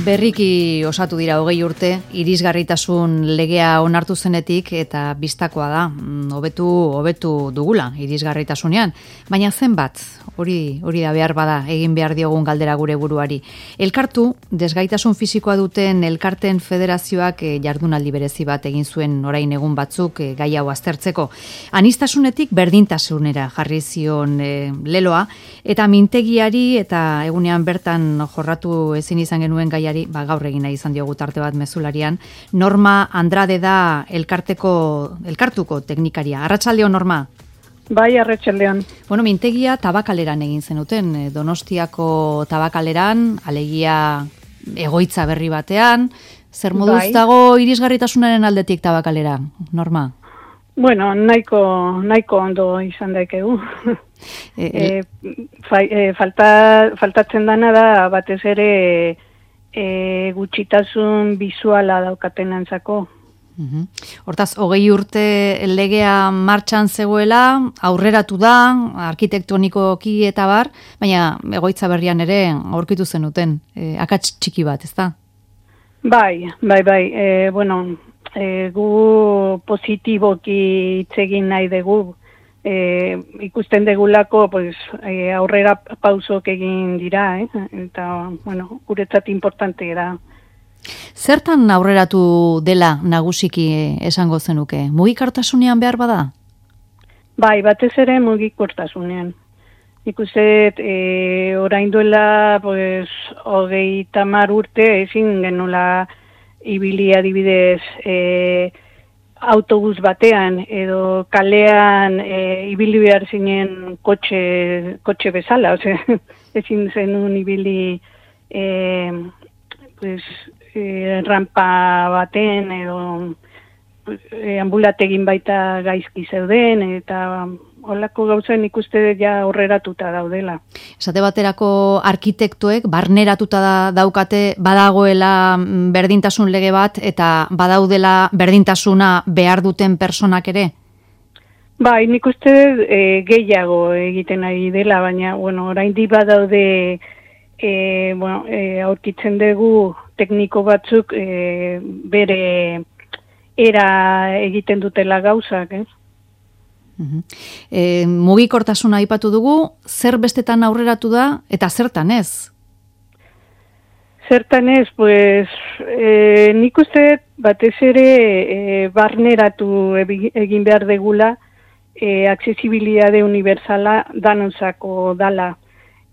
Berriki osatu dira 20 urte, irisgarritasun legea onartu zenetik eta bistakoa da, hobetu dugula irisgarritasunean, baina zenbat, hori da behar bada, egin behar diogun galdera gure buruari. Elkartu, desgaitasun fisikoa duten elkarten federazioak jardunaldi berezi bat egin zuen orain egun batzuk gai hau aztertzeko. Aniztasunetik berdintasunera jarri zion leloa, eta mintegiari eta egunean bertan jorratu ezin izan genuen gaiari, gaur egin nahi izan diogu tarte bat mezularian. Norma Andrade da elkartuko teknikaria. Arratsaldeon, Norma. Bai, arratsaldeon. Bueno, mintegia Tabakaleran egin zenuten, Donostiako Tabakaleran, alegia egoitza berri batean. Zer moduz dago irisgarritasunaren aldetik Tabakalera, Norma? Bueno, nahiko ondo izan daikegu. Faltatzen dana da batez ere gutxitasun bisuala daukatenantzako. Hortaz, 20 urte legea martxan zegoela, aurreratu da, arkitektonikoki eta bar, baina egoitza berrian ere aurkitu zenuten, akats txiki bat, ezta? Bai. Bueno, gu positiboki hitz egin nahi dugu, ikusten degulako aurrera pausok egin dira, eta bueno, guretzat importante da. Zertan aurreratu dela nagusiki esango zenuke? Mugikortasunean behar bada? Bai, batez ere mugikortasunean. Ikusten orain duela 30 urte ezin genula ibili adibidez autobus batean edo kalean ibili behar zinen kotxe bezala, ezin zenun ibili rampa baten edo ambulategin baita gaizki zeuden eta holako gauzen ikuste ja aurreratuta daudela. Esate baterako arkitektoek barneratuta daukate badagoela berdintasun lege bat eta badaudela berdintasuna behar duten personak ere? Bai, nik uste gehiago egiten ari dela, baina oraindik badaude aurkitzen dugu tekniko batzuk bere era egiten dutela gauzak, Mugikortasuna aipatu dugu, zer bestetan aurreratu da eta zertan ez? Zertan ez, nik uste batez ere barneratu egin behar degula aksesibilitate unibertsala danontzako dala.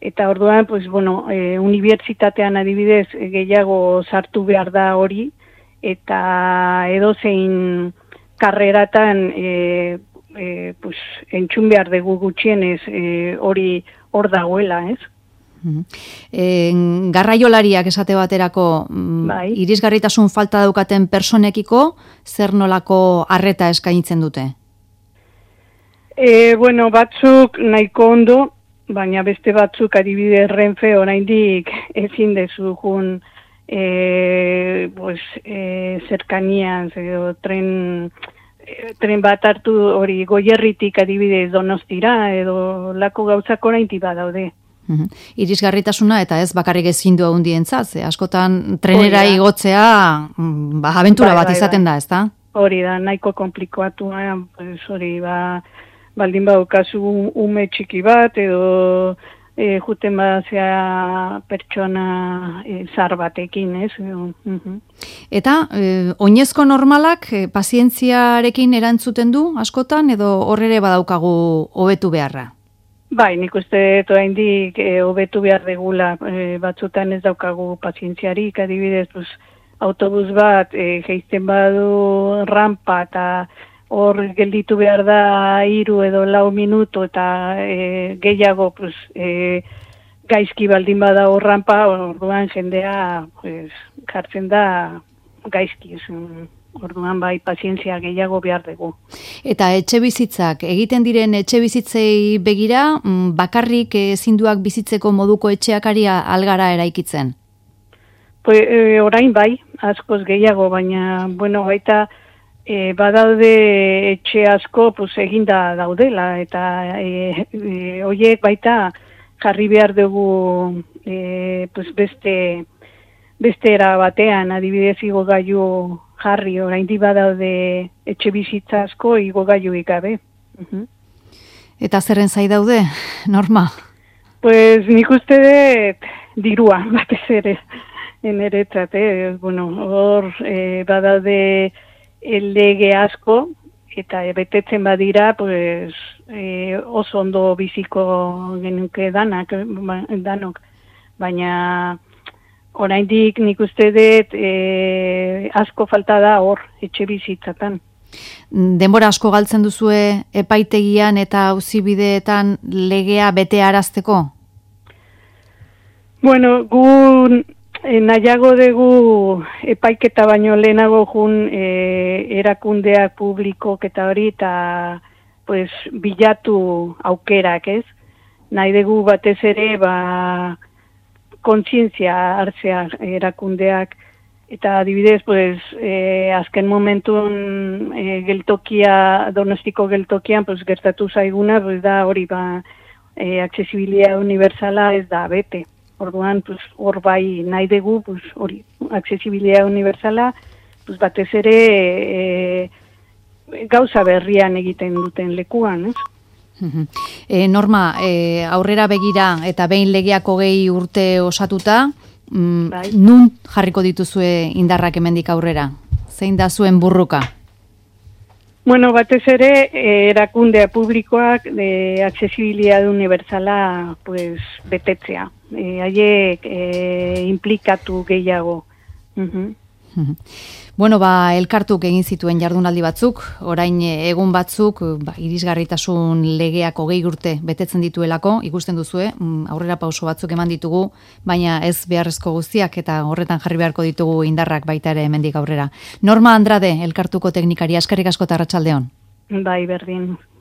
Eta orduan, unibertsitatean adibidez gehiago sartu behar da hori, eta edozein karreratan entzun behar dugu gutxienez hori hor dagoela, ez? Garraiolariak esate baterako, irisgarritasun falta daukaten personekiko, zer nolako arreta eskaintzen dute? Batzuk nahiko ondo, baina beste batzuk adibidez Renfe oraindik ezin dezugun zerkanian, tren bat hartu hori Goierritik adibidez Donostira edo lako gauzak oraindik badaude. Irisgarritasuna eta ez bakarrik ezindu handientzat, askotan trenera igotzea abentura bat izaten da, ezta? Hori da, nahiko komplikatua, hori baldin baukazu ume txiki bat edo juten bazea pertsona zar batekin, ez? Eta oinezko normalak pazientziarekin erantzuten du askotan edo horrere badaukagu hobetu beharra? Bai, nik uste oraindik hobetu behar degula, batzutan ez daukagu pazientziarik, adibidez, autobus bat jaisten badu rampa eta hor gelditu behar da 3 edo 4 minutu eta gehiago gaizki baldin bada hor rampa, orduan jendea jartzen da gaizki, orduan bai pazientzia gehiago behar dugu. Eta etxe bizitzak, egiten diren etxe bizitzei begira, bakarrik ezinduak bizitzeko moduko etxeakari algara eraikitzen? Orain bai, askoz gehiago, baina, baita badaude etxe asko eginda daudela, eta horiek baita jarri behar dugu beste beste era batean, adibidez igogailu jarri, oraindik badaude etxe bizitza asko igogailurik gabe. Eta zerren zai daude, Norma? Pues nik uste dut dirua, batez ere, eneretzat, bueno, hor badaude lege asko, eta betetzen badira, pues, oso ondo biziko genuke danok, baina oraindik nik uste dut asko falta da hor, etxe bizitzatan. Denbora asko galtzen duzue epaitegian eta auzibideetan legea bete arazteko? Bueno, gu nahiago dugu epaiketa baino lehenago jun erakundeak publikok eta hori, eta pues, bilatu aukerak, ez? Nahi dugu batez ere, kontzientzia hartzea erakundeak, eta adibidez, pues, azken momentun Donostiko geltokian, pues, gertatu zaiguna, pues, da hori, aksesibilia universala ez da bete. Orduan, pues, hor bai nahi dugu, pues, hori, aksesibilia universala, pues, batez ere gauza berrian egiten duten lekuan, ez? Norma, aurrera begira eta behin legeak 20 urte osatuta, nun jarriko dituzue indarrak hemendik aurrera? Zein da zuen burruka? Bueno, batez ere, erakundea publikoak aksesibilidade universala pues, betetzea. Haiek implikatu gehiago. Bueno, elkartuk egin zituen jardunaldi batzuk, orain egun batzuk, irisgarritasun legeak 20 urte betetzen dituelako, ikusten duzue, aurrera pauso batzuk eman ditugu, baina ez beharrezko guztiak eta horretan jarri beharko ditugu indarrak baita ere hemendik aurrera. Norma Andrade, elkartuko teknikaria, eskerrik asko eta arratsaldeon. Bai, berdin.